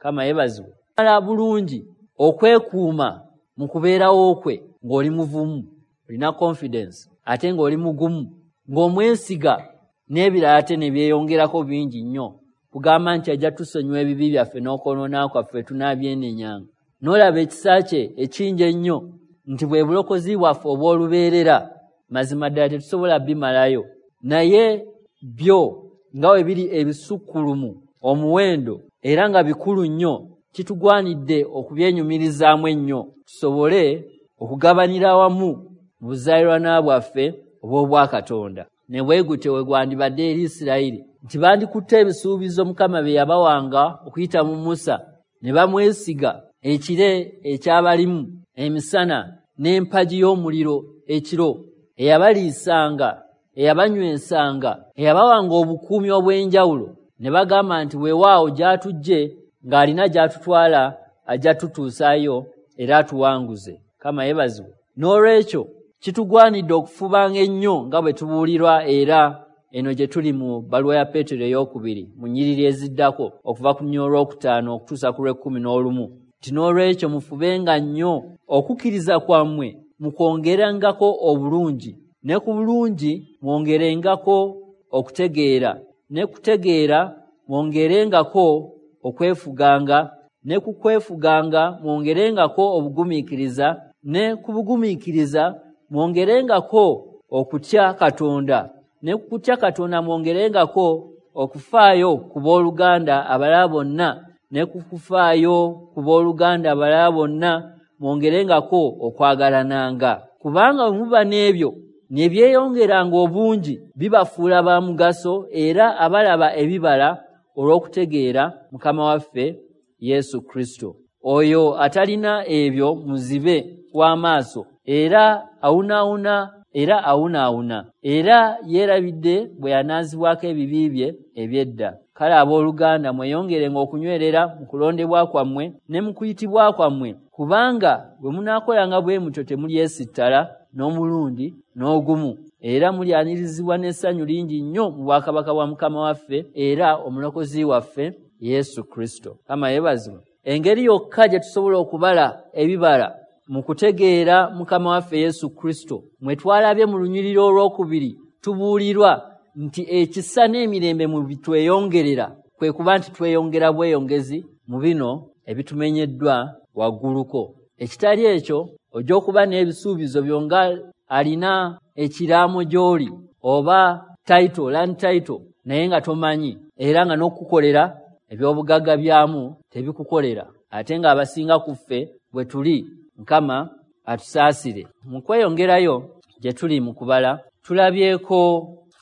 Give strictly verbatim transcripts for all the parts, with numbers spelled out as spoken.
Kama yeebazibwe. Mala bulungi okwekuuma mu kubeerawo kwe ng'oli muvumu, olina confidence, ate ng'oli mugumu, ng'omwesiga, n'ebirala ate ne byeyongerako bingi nnyo. Kugamba nti ajja tusonyiwa ebibi byaffe n'okwonoona kwaffe tunaabyenenyanga. N'olaba ekisa kye ekingi ennyo nti bwe bulokozi bwaffe obw'olubeerera, mazima ddala tetusobola bimalayo. Naye byo nga bwe biri ebisukkulumu omuwendo era nga bikulu nnyo, kitugwanidde okubyenyumirizaamu ennyo tusobole okugabanira awamu mu buzaaliranwa bwaffe obw'Obwakatonda. Ne bwe gutyo we gwandibadde eri Isirayiri nti bandikutte ebisuubizo Mukama bye yabawanga okuyita mu Musa ne bamwesiga, ekire ekyabalimu emisana n'empagi y'omuliro ekiro, eyabaliisanga, eyabanywesanga, eyabawanga obukuumi obw'enjawulo, ne bagamba nti weewaawo gy'atujje ng'alina gy'atutwala ajja tutuusaayo era atuwanguze. Kama yeebazibwe. N'olwekyo kitugwanidde okufubanga ennyo nga bwe tubuulirwa, era eno gye tuli mu bbaluwa ya Peetero ey'okubiri mu nnyiriri eziddako okuva ku lunyiriri olwokutaano okutuusa ku lw'ekkumi n'olumu, nti n'olwekyo mufubenga nnyo okukkiriza kwammwe mukwongerangako obulungi, ne ku bulungi mwongerengako okutegeera, ne kutegeera mwongerengako okwefuganga, ne ku kwefuganga mwongerengako obugumiikiriza, ne ku bugumiikiriza mwongerengako okutya Katonda, ne ku kutya Katonda mwongerengako okufaayo ku booluganda abalala bonna, ne ku kufaayo ku booluganda abalala bonna mwongerengako okwagalananga. Kubanga bwe muba n'ebyo ne byeyongeranga obungi, bibafuula ba mugaso era abalaba ebibala olw'okutegeera Mukama waffe Yesu Kristo. Oyo atalina ebyo muzibe w'amaaso, era awunaawuna era awunaawuna, era yeerabidde bwe yanaazibwako ebibi bye eby'edda. Kale abooluganda mweyongerenga okunywerera mu kulondebwa kwammwe ne mu kuyitibwa kwammwe, kubanga bwe munaakolanga bwe mutyo temulyesittala n'omulundi n'ogumu, era mulyanirizibwa n'essanyu lingi nnyo mu bwakabaka bwa Mukama waffe era omulokozi waffe Yesu Kristo. Kama yeebazibwe. Engeri yokka gye tusobola okubala ebibala mu kutegeera Mukama waffe Yesu Kristo, mwe twalabye mu lunyiriri olwokubiri tubuulirwa nti ekisa n'emirembe mu bitweyongerera, kwe kuba nti tweyongera bweyongezi mu bino ebitumenyeddwa wagguluko. Ekitali ekyo ojja okuba n'ebisuubizo byonga alina ekiraamo gy'oli oba title, land title, naye nga tomanyi, era nga n'okukukolera eby'obugagga byamu tebikukolera, ate ng'abasinga ku ffe bwe tuli. Mukama atusaasire. Mu kweyongerayo gye tuli mu kubala, tulabyeko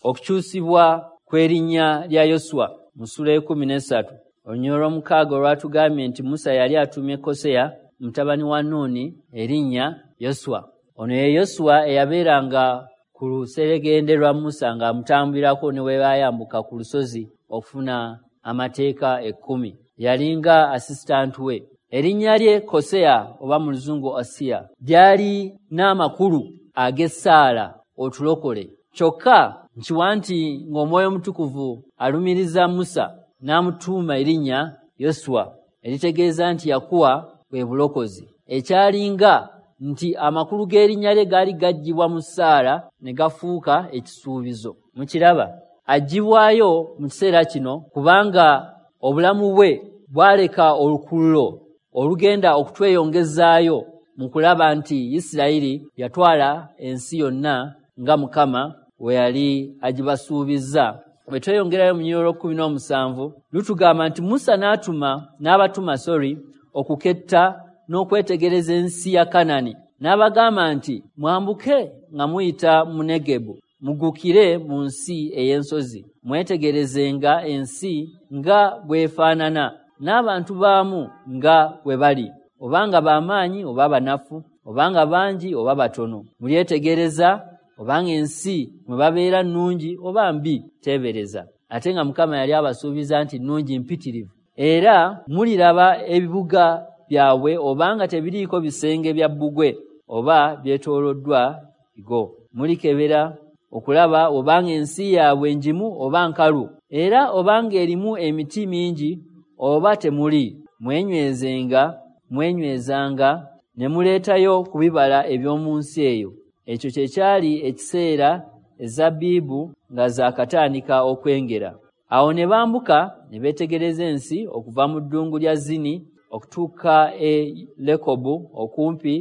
okukyusibwa kw'erinnya lya Yoswa mu ssuula ekkumi n'essatu. Olunyiriri olw'omukaaga olwatugambye nti Musa yali atumye Koseya mutabani wa Nuuni erinnya Yoswa. Ono ye Yoswa eyabeeranga ku luseregende lwa Musa ng'amutambulirako ne we baayambuka ku lusozi okufuna amateeka ekkumi. Yalinga assistant we. Erinnya lye Koseya oba mu Luzungu Osiya lyali n'amakulu ag'essaala otulokole. Kyokka nkiwa nti ng'Omwoyo Omutukuvu alumiriza Musa n'amutuuma erinnya Yoswa, eritegeeza nti Yakuwa bwe bulokozi. Ekyalinga nti amakulu g'erinnya lye gaali gaggyibwa mu ssaala ne gafuuka ekisuubizo. Mukiraba, aggyibwayo mu kiseera kino kubanga obulamu bwe bwaleka olukululo olugenda okutweyongezaayo mu kulaba nti Isirayiri yatwala ensi yonna nga Mukama we yali agibasuubizza. Bwe tweyongerayo mu lunyiriri olw'ekkumi n'omusanvu lutugamba nti Musa n'atuma n'abatuma sorry okuketta n'okwetegereza ensi ya Kanani, n'abagamba nti mwambuke nga muyita mu Negebu, mugukire mu nsi ey'ensozi, mwetegerezenga ensi nga bw'efaanana n'abantu baamu nga bwe bali, obanga b'amaanyi oba banafu, obanga bangi oba batono. Mulyetegereza obanga ensi mwe babeera nnungi oba mbi, teebereza. Ate nga Mukama yali abasuubiza nti nnungi mpitirivu. Era muliraba ebibuga byabwe obanga tebiriiko bisenge bya bbugwe oba byetooloddwa bigo. Mulikebera okulaba obanga ensi yaabwe ngimu oba nkalu, era obanga erimu emiti mingi oba temuli. Mwenywezenga mwenywezanga ne muleetayo ku bibala eby'omu nsi eyo. Ekyo kye kyali ekiseera ezabbibu nga zaakatandika okwengera. Awo ne bambuka ne beetegereza ensi okuva mu ddungu lya Zini okutuuka e Lekobu okumpi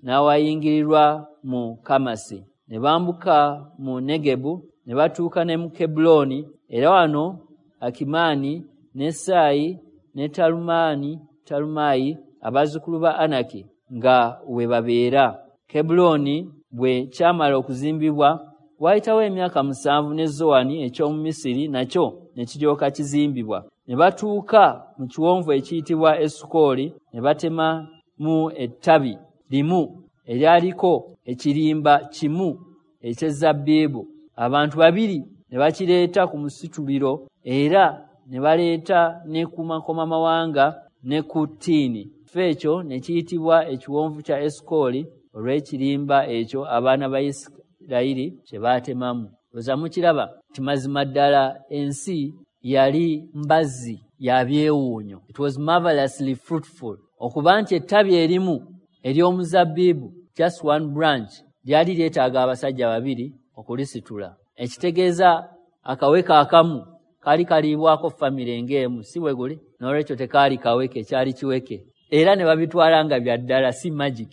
n'awayingirirwa mu Kamasi. Ne bambuka mu Negebu ne batuuka ne mu Kebbulooni, era wano Akimaani ne Saayi ne Talumaani Talumaayi abazzukulu ba Anaki nga we babeera. Kebbulooni bwe kyamala okuzimbibwa waayitawo emyaka musanvu ne Zowani eky'omu Misiri nakyo ne kiryoka kizimbibwa. Ne batuuka mu kiwonvu ekiyitibwa Esukoli ne batemamu ettabi limu eryaliko ekirimba kimu eky'ezabbibu. Abantu babiri ne bakireeta ku musituliro, era ne baleeta ne ku makomamawanga ne ku ttiini. Ekifo ekyo ne kiyitibwa ekiwonvu kya Esukoli olw'ekirimba ekyo abaana ba Isirayiri kye baatemamu. Oza mukiraba nti mazima ddala ensi yali mbazzi ya byewuunyo. It was marvelously fruitful. Okuba nti ettabi erimu ery'omuzabbibu, just one branch, lyali lyetaaga abasajja babiri okulisitula. Ekitegeeza akaweke akamu kaali kaliibwako famire ng'emu, si bwe guli? N'olwekyo tekaali kaweke, kyali kiweke. Era ne babitwala nga bya ddala, si magic.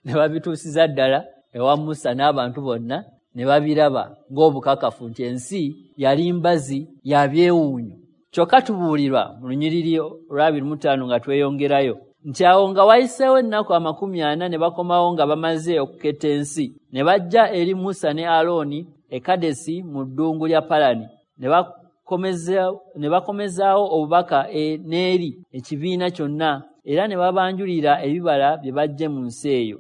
Ne babituusiza ddala ewa Musa n'abantu bonna ne babiraba ng'obukakafu nti ensi yali mbazi ya byewuunyo. Kyokka tubuulirwa mu lunyiriri olw'abiri mu ttaano nga tweyongerayo nti awo nga wayiseewo ennaku amakumi ana ne bakomawo nga bamaze okuketta ensi, ne bajja eri Musa ne Alooni e Kadesi mu ddungu lya Palani, ne bakomezaawo obubaka e n'eri ekibiina kyonna, era ne babanjulira ebibala bye baggye mu nsi eyo.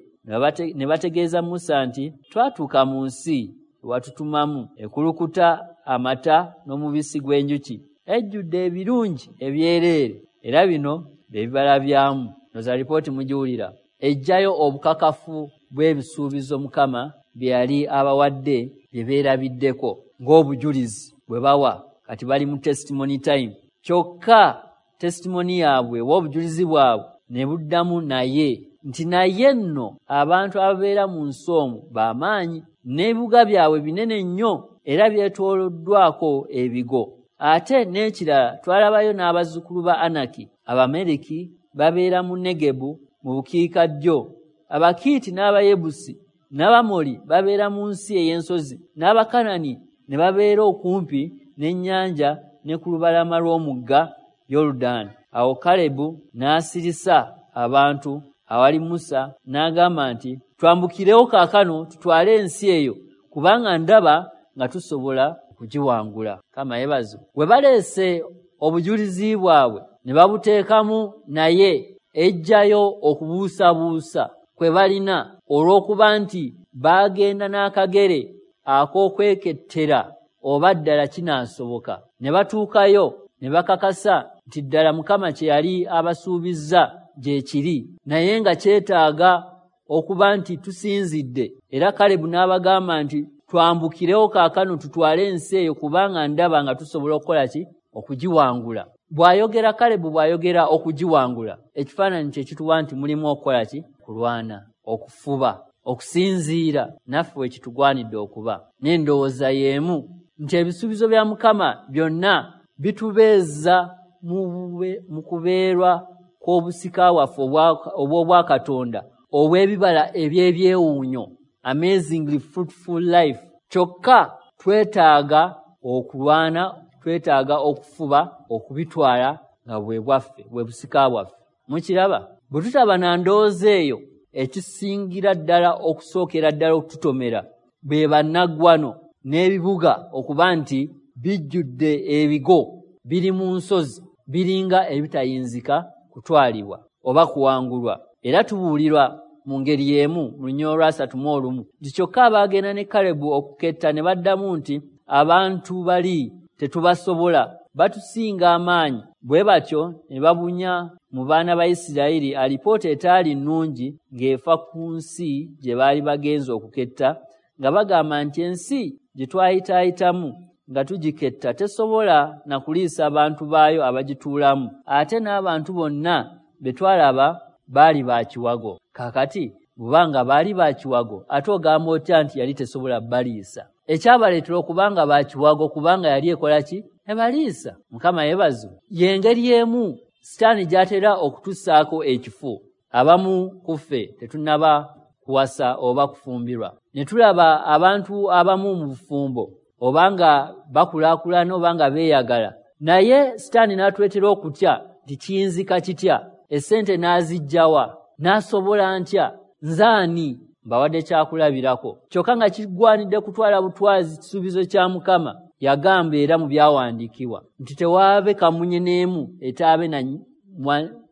Ne bategeeza Musa nti twatuuka mu nsi watutumamu ekulukuta amata n'omubisi gw'enjuki, ejjudde ebirungi ebyereere, era bino bye bibala byamu. Noza lipooti mugiwulira ejjayo obukakafu bw'ebisuubizo Mukama bye yali abawadde bye beerabiddeko ng'obujulizi bwe bawa. Kati bali mu testimony time. Kyokka testimony yaabwe oba obujulizi bwabwe ne buddamu naye nti naye nno abantu ababeera mu nsi omwo b'amaanyi, n'ebibuga byabwe binene nnyo era byetooloddwako ebigo. Ate n'ekirala twalabayo n'abazzukulu ba Anaki, Abameriki babeera mu Negebu mu bukiikaddyo, Abakiiti n'Abayebusi n'Abamoli babeera mu nsi ey'ensozi, n'Abakanani ne babeera okumpi n'ennyanja ne ku lubalama lw'omugga Yoludaani. Awo Kalebu n'asirisa abantu awali Musa n'agamba nti twambukirewo kaakano tutwale ensi eyo, kubanga ndaba nga tusobola okugiwangula. Kama yebazo. We baleese obujulizi bwabwe ne babuteekamu naye ejjayo okubuusabuusa kwe balina olw'okuba nti baagenda n'akagere ak'okwekettera oba ddala kinaasoboka. Ne batuukayo ne bakakasa nti ddala Mukama kye yali abasuubizza gye kiri, naye nga kyetaaga okuba nti tusinzidde. Era Kalebu n'abagamba nti twambukirewo kaakano tutwale ensi eyo, kubanga ndaba nga tusobola okukola ki? Okugiwangula. Bw'ayogera Kalebu bw'ayogera okugiwangula, ekifaananyi kye kituwa nti mulimu okukola ki? Kulwana, okufuba, okusinziira. Naffe we kitugwanidde okuba n'endowooza y'emu nti ebisuubizo bya Mukama byonna bitubeeza mu kubeerwa kw'obusika waffe obw'Obwakatonda obw'ebibala eby'ebyewuunyo, amazingly fruitful life. Kyokka twetaaga okulwana, twetaaga okufuba okubitwala nga bwe bwaffe, bwe busika bwaffe. Mukiraba? Bwe tutaba na ndowooza eyo, ekisingira ddala okusookera ddala okututomera bwe bannaggwano n'ebibuga okuba nti bijjudde ebigo, biri mu nsozi, biringa ebitayinzika kutwalibwa oba kuwangulwa. Era tubuulirwa mu ngeri y'emu mu lunyiriri olwasatu mu olumu nti kyokka abaagenda ne Kalebu okuketta ne baddamu nti abantu bali tetubasobola, batusinga amaanyi. Bwe batyo ne babunya mu baana ba Isirayiri alipoota etaali nnungi ng'efa ku nsi gye baali bagenze okuketta, nga bagamba nti ensi gye twayitaayitamu nga tugiketta tesobola na kuliisa abantu baayo abagituulamu, ate n'abantu bonna be twalaba baali ba kiwago. Kaakati bubanga baali ba kiwago, ate ogamba otya nti yali tesobola baliisa? Ekyabaleetera okubanga ba kiwago kubanga yali ekola ki? Ebaliisa. Mukama yeebazibwe. Y'engeri emu Sitaani gy'atera okutussaako ekifo. Abamu ku ffe tetunnaba kuwasa oba kufumbirwa, ne tulaba abantu abamu mu bufumbo oba nga bakulaakulana oba nga beeyagala, naye Sitaani n'atuleetera okutya nti kiyinzika kitya, essente n'aziggyawa, n'asobola ntya, nze ani? Mbawadde kyakulabirako. Kyokka nga kigwanidde kutwala butwazi kisuubizo kya Mukama. Yagamba era mu byawandiikibwa nti tewaabe kamunye n'emu etaabe na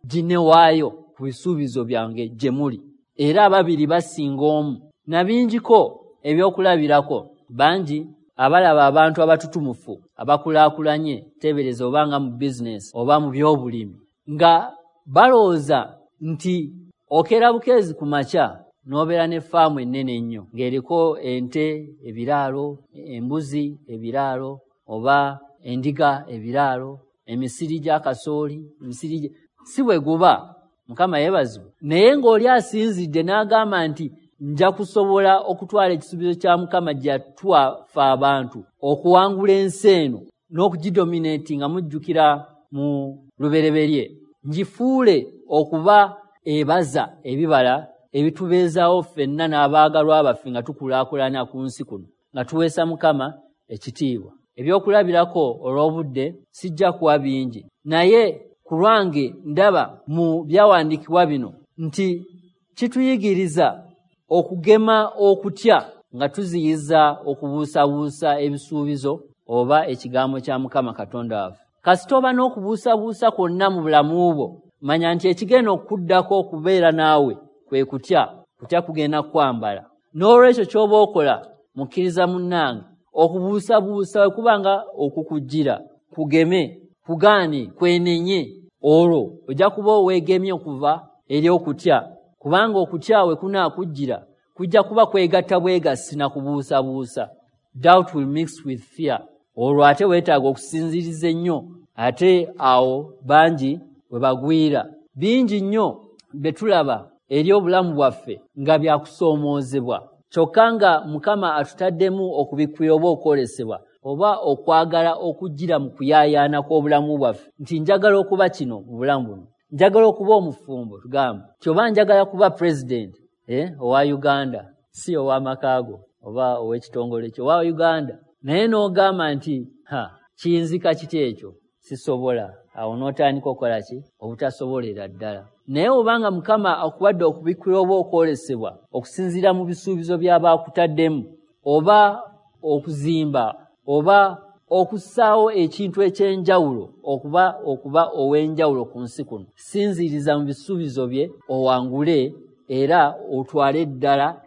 ginne waayo ku bisuubizo byange gye muli, era ababiri basinga omu. Na bingiko ebyokulabirako bangi abalaba abantu abatutumufu abakulaakulanye, teebereza oba nga mu bizinesi oba mu byobulimi, nga balowooza nti okeera bukeezi ku makya n'obeera ne faamu ennene ennyo ng'eriko ente ebiraalo, embuzi ebiraalo, oba endiga ebiraalo, emisiri gya kasooli, emisiri si bwe guba. Mukama yeebazibwe. Naye ng'oli asinzidde n'agamba nti nja kusobola okutwala ekisuubizo kya Mukama gye yatuwa ffe abantu okuwangula ensi eno n'okugidominatinga, nga mujjukira mu lubereberye, ngifuule okuba ebaza ebibala ebitubeezaawo ffenna n'abaagalwa baffe nga tukulaakulana ku nsi kuno, nga tuweesa Mukama ekitiibwa. Ebyokulabirako olw'obudde sijja kuwa bingi, naye ku lwange ndaba mu byawandiikibwa bino nti kituyigiriza okugema okutya nga tuziyiza okubuusabuusa ebisuubizo oba ekigambo kya Mukama Katonda waffe. Kasita oba n'okubuusabuusa kwonna mu bulamu bwo, manya nti ekigenda okuddako okubeera naawe kwe kutya. Kutya kugenda kwambala. N'olwekyo ky'oba okola, mukkiriza munnange, okubuusabuusa bwe kuba nga okukujjira, kugeme, kugaane, kwenenye, olwo ojja kuba weegemye okuva eri okutya, kubanga okutya we kunaakujjira kujja kuba kwegatta bwegassi na kubuusabuusa. Doubt will mix with fear. Olwo ate weetaaga okusinziiriza ennyo, ate awo bangi we bagwira. Bingi nnyo bye tulaba eri obulamu bwaffe nga byakusoomoozebwa, kyokka nga Mukama atutaddemu okubikkulira oba okwolesebwa oba okwagala okujjira mu kuyaayaana kw'obulamu bwaffe nti njagala okuba kino mu bulamu buno, njagala okuba omufumbo, tugamba nti oba njagala kuba pulezidenti eh, owa Uganda, si ow'amakaago oba ow'ekitongole kyo, owa Uganda, naye n'ogamba nti ha, kiyinzika kiti ekyo, sisobola. Awo n'otandika okukola ki? Obutasobolera ddala. Naye obanga Mukama akuwadde okubikkulira oba okwolesebwa okusinziira mu bisuubizo by'aba akutaddemu, oba okuzimba oba okussaawo ekintu eky'enjawulo, okuba okuba ow'enjawulo ku nsi kuno, sinziiriza mu bisuubizo bye owangule era otwale ddala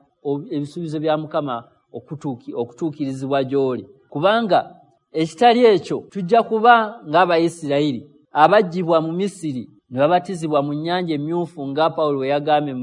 ebisuubizo bya Mukama okutuukirizibwa gy'oli. Kubanga ekitali ekyo tujja kuba ng'Abayisirayiri abaggyibwa mu Misiri ne babatizibwa mu nnyanja emyufu nga Pawulo bwe yagambye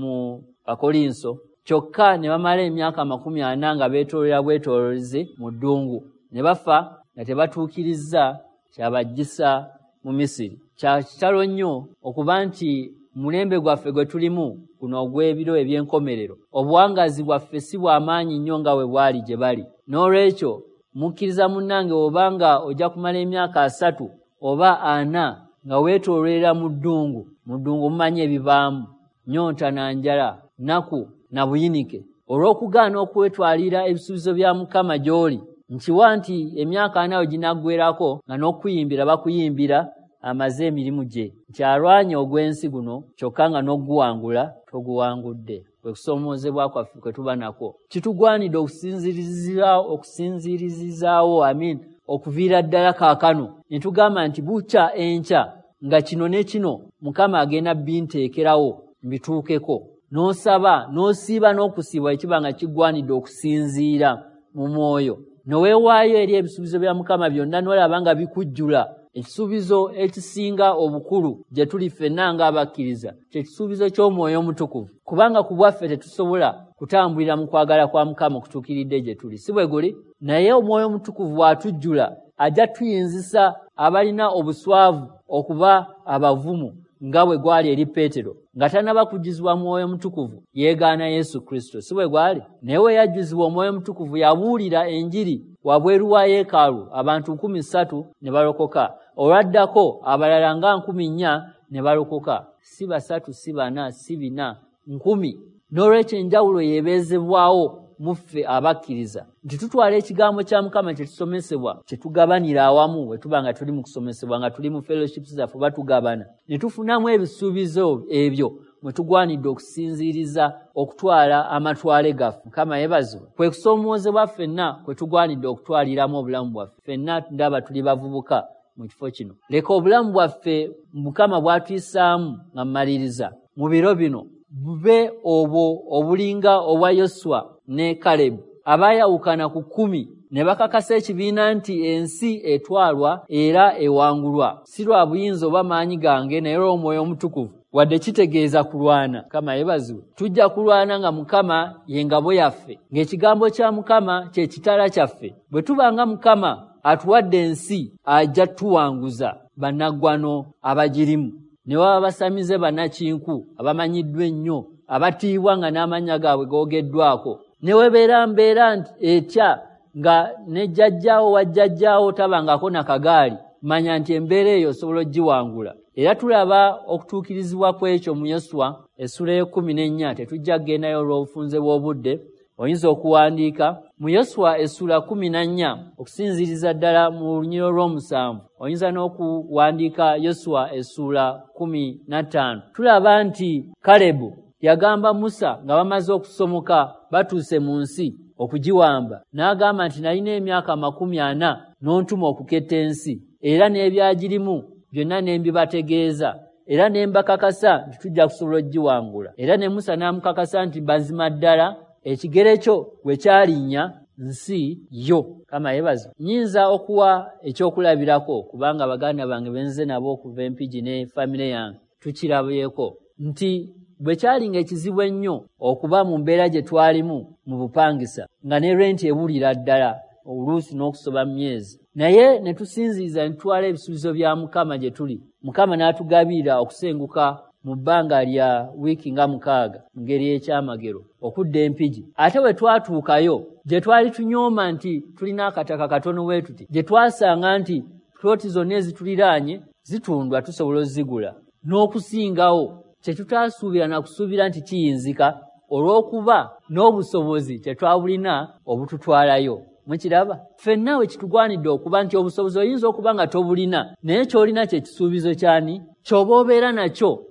mu Bakolinso, kyokka ne bamala emyaka amakumi ana nga beetoolera bwetooloolezi mu ddungu, ne bafa nga tebatuukirizza kyabaggyisa mu Misiri. Kya kitalo nnyo okuba nti mulembe gwaffe gwe tulimu guno ogw'ebiro eby'enkomerero, obuwangaazi bwaffe si bw'amaanyi nnyo nga bwe bwali gye bali. N'olwekyo mukkiriza munnange, obanga ojja kumala emyaka asatu oba ana nga weetoololera mu ddungu, mu ddungu mumanyi ebibaamu, nnyonta na njala, nnaku na buyinike, olw'okugaana okwetwalira ebisuubizo bya Mukama gy'oli. Nkiwa nti emyaka ana we ginaggwerako nga n'okuyimbira bakuyimbira amaze emirimu gye, nti alwanye ogw'ensi guno, kyokka nga n'oguwangula toguwangudde. Kwe kusoomoozebwa kwaffe kwe tuba nakwo. Kitugwanidde okusinziirizaawo amin okuviira ddala kaakano ne tugamba nti bukya enkya nga kino ne kino Mukama agenda binteekerawo mbituukeko. N'osaba n'osiiba n'okusiiba ekiba nga kigwanidde okusinziira mu mwoyo, ne weewaayo eri ebisuubizo bya Mukama byonna, n'olaba nga bikujjula. Ekisuubizo ekisinga obukulu gye tuli ffenna ng'abakkiriza kye kisuubizo ky'Omwoyo Omutukuvu, kubanga ku bwaffe tetusobola kutambulira mu kwagala kwa Mukama okutuukiridde gye tuli, si bwe guli? Naye Omwoyo Omutukuvu bw'atujjula ajja tuyinzisa abalina obuswavu okuba abavumu nga bwe gwali eri Peetero. Nga tannaba kujjuzibwa Mwoyo Mutukuvu yeegaana Yesu Kristo, si bwe gwali? Naye we yajjuzibwa Omwoyo Mutukuvu yabuulira enjiri wabweru wa yeekaalu, abantu nkumi ssatu ne balokoka. Olwaddako abalala nga nkumi nnya ne balokoka, si basatu, si bana, si bina, nkumi. N'olwekyo enjawulo yeebeezebwawo mu ffe abakkiriza nti tutwala ekigambo kya Mukama kye tusomesebwa, kye tugabanira awamu bwe tuba nga tuli mu kusomesebwa, nga tuli mu fellowships zaffe batugabana, ne tufunamu ebisuubizo ebyo mwe tugwanidde okusinziiriza okutwala amatwale gaffe. Mukama yeebazibwe. Kwe kusoomoozebwa ffenna kwe tugwanidde okutwaliramu obulamu bwaffe. Ffenna ndaba tuli bavubuka mu kifo kino. Leka obulamu bwaffe Mukama bw'atuyisaamu nga mmaliriza mu biro bino bube obwo obulinga obwa Yoswa ne Kalebu abaayawukana ku kkumi ne bakakasa ekibiina nti ensi etwalwa era ewangulwa, si lwa buyinza oba maanyi gange naye olw'Omwoyo Omutukuvu. Wadde kitegeeza kulwana, Mukama yeebazibwe. Tujja kulwana nga Mukama ye ngabo yaffe, ng'ekigambo kya Mukama kye kitala kyaffe. Bwe tuba nga Mukama atuwadde ensi, ajja tuwanguza bannaggwano abagirimu, ne baba basamize bannakinku abamanyiddwa ennyo, abatiibwa nga n'amannya gaabwe googeddwako. Ne webeera mbeera etya nga ne jjajjaawo wa jjajjaawo tabangako na kagaali, manya nti embeera eyo osobola ogiwangula. Era tulaba okutuukirizibwa kw'ekyo mu Yoswa essula y'ekkumi n'ennya. Tetujja kugendayo olw'obufunze bw'obudde, oyinza okuwandiika mu Yoswa essula kkumi na nnya okusinziiriza ddala mu lunyiriri olw'omusanvu. Oyinza n'okuwandiika Yoswa essula kkumi na ttaano. Tulaba nti Kalebu yagamba Musa nga bamaze okusomoka batuuse mu nsi okugiwamba, n'agamba nti nalina emyaka amakumi ana n'ontuma okuketta ensi, era n'ebyagirimu byonna ne mbibategeeza, era ne mbakakasa nti tujja kusobola okugiwangula. Era ne Musa n'amukakasa nti mazima ddala ekigere kyo bwe kyalinnya nsi yo. Mukama yeebazibwe. Nnyinza okuwa ekyokulabirako kubanga baganda bange benze nabo okuva Empigi ne famire yange tukirabyeko nti bwe kyalinga ekizibu ennyo okuba mu mbeera gye twalimu mu bupangisa nga ne renti ebulira ddala oluusi n'okusoba myezi, naye ne tusinziiza ne tutwala ebisuubizo bya Mukama gye tuli. Mukama n'atugabirira okusenguka mu bbanga lya wiiki nga mukaaga mu ngeri y'ekyamagero okudda Empigi. Ate bwe twatuukayo gye twali tunyooma nti tulina akataka katono bwe tuti, gye twasanga nti ploti zonna ezituliraanye zitundwa tusobola ozigula n'okusingawo, kye tutaasuubira na kusuubira nti kiyinzika olw'okuba n'obusobozi tetwabulina obututwalayo. Mukiraba? Ffenna we kitugwanidde okuba nti obusobozi oyinza okuba nga tobulina, naye ky'olina kye kisuubizo kyani? Ky'oba obeera nakyo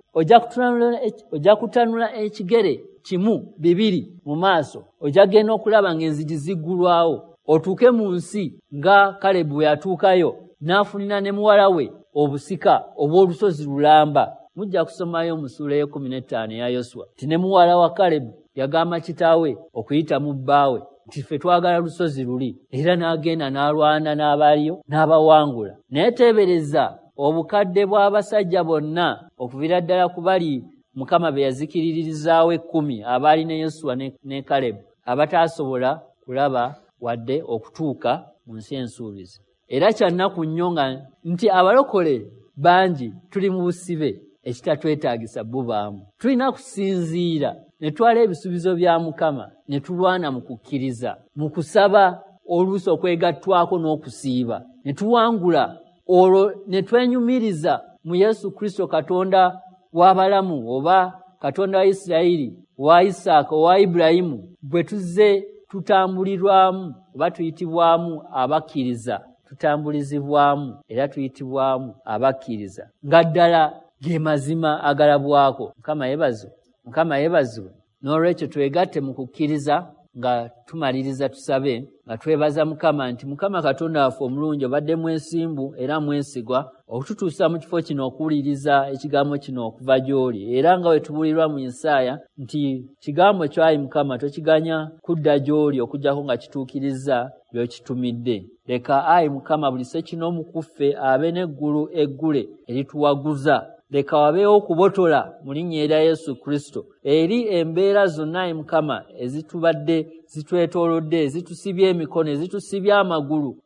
ojja kutanula ekigere kimu bibiri mu maaso, ojja kugenda okulaba ng'enzigi ziggulwawo otuuke mu nsi nga Kalebu bwe yatuukayo n'afunira ne muwala we obusika obw'olusozi lulamba. Mujja kusomayo mu ssuula y'ekkumi n'ettaano eya Yoswa nti ne muwala wa Kalebu yagamba kitaawe okuyita mu bbaawe nti ffe twagala lusozi luli, era n'agenda n'alwana n'abaaliyo n'abawangula. Naye teebereza obukadde bw'abasajja bonna okuviira ddala ku bali Mukama be yazikiriririzaawo ekkumi abaali ne Yoswa ne, ne Kalebu abataasobola kulaba wadde okutuuka mu nsi ensuubizi. Era kya nnaku nnyo nga nti abalokole bangi tuli mu busibe ekitatwetaagisa bubaamu. Tulina kusinziira ne twala ebisuubizo bya Mukama ne tulwana mu kukkiriza, mu kusaba, oluusi okwegattwako n'okusiiba, ne tuwangula, olwo ne twenyumiriza mu Yesu Kristo Katonda w'abalamu oba Katonda wa Isirayiri, wa Isaaka, owa Ibulayimu, bwe tuzze tutambulirwamu oba tuyitibwamu abakkiriza, tutambulizibwamu era tuyitibwamu abakkiriza nga ddala ge mazima agalabwako. Mukama yeebazibwe. Mukama yeebazibwe. N'olwekyo twegatte mu kukkiriza, Nga tumaliriza tusabe nga twebaza Mukama nti Mukama Katonda waffe omulungi, obadde mwesimbu era mwesigwa okututuusa mu kifo kino okuwuliriza ekigambo kino okuva gy'oli, era nga bwe tubuulirwa mu Isaaya nti kigambo kyo ayi Mukama tokiganya kudda gy'oli okuggyako nga kituukiriza by'okitumidde. Leka ayi Mukama buli ssekinoomu ku ffe abe n'eggulu eggule erituwaguza. Leka wabeewo okubotola mu linnya erya Yesu Kristo eri embeera zonna ayi Mukama ezitubadde zitwetoolodde, ezitusibye emikono, ezitusibye amagulu,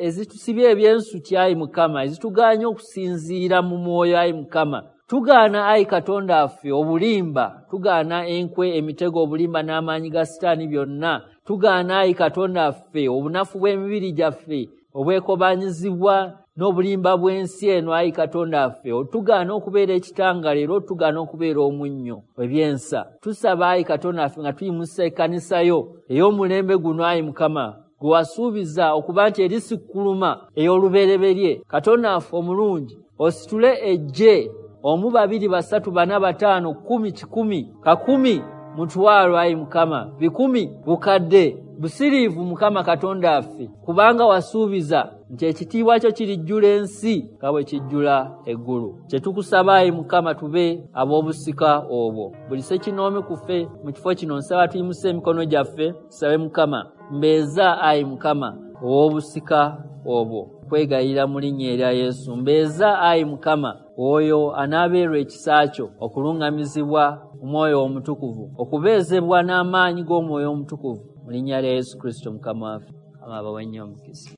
ezitusibye ebyensuti ayi Mukama, ezitugaanye okusinziira mu mwoyo ayi Mukama. Tugaana ayi Katonda waffe obulimba, tugaana enkwe, emitego, obulimba n'amaanyi ga Sitaani byonna. Tugaana ayi Katonda waffe obunafu bw'emibiri gyaffe obwekobanyizibwa n'obulimba bw'ensi eno ayi Katonda waffe. Otugaana okubeera ekitangala era otugaana okubeera omunnyo ebyensa. Tusaba ayi Katonda waffe nga tuyimusa ekkanisa yo ey'omulembe guno ayi Mukama, gwe wasuubiza okuba nti erisikkuluma ey'olubereberye. Katonda waffe omulungi, ositule eggye omu, babiri, basatu, bana, bataano, kkumi, kikumi, kakumi, mutwalo ayi Mukama, bikumi, bukadde, busiriivu Mukama Katonda waffe, kubanga wasuubiza nti ekitiibwa kyo kirijjula ensi nga bwe kijjula eggulu. Kye tukusaba ayi Mukama tube ab'obusika obwo. Buli ssekinoomi ku ffe mu kifo kino nsaba tuyimuse emikono gyaffe tusabe Mukama, mbeeza ayi Mukama ow'obusika obwo, kwegayirira mu linnya erya Yesu. Mbeeza ayi Mukama oyo anaabeerwa ekisa kyo okuluŋŋamizibwa Omwoyo Omutukuvu, okubeezebwa n'amaanyi g'Omwoyo Omutukuvu, mu linnya lya Yesu Kristo Mukama waffe. Mukama abawe nnyo omukisa.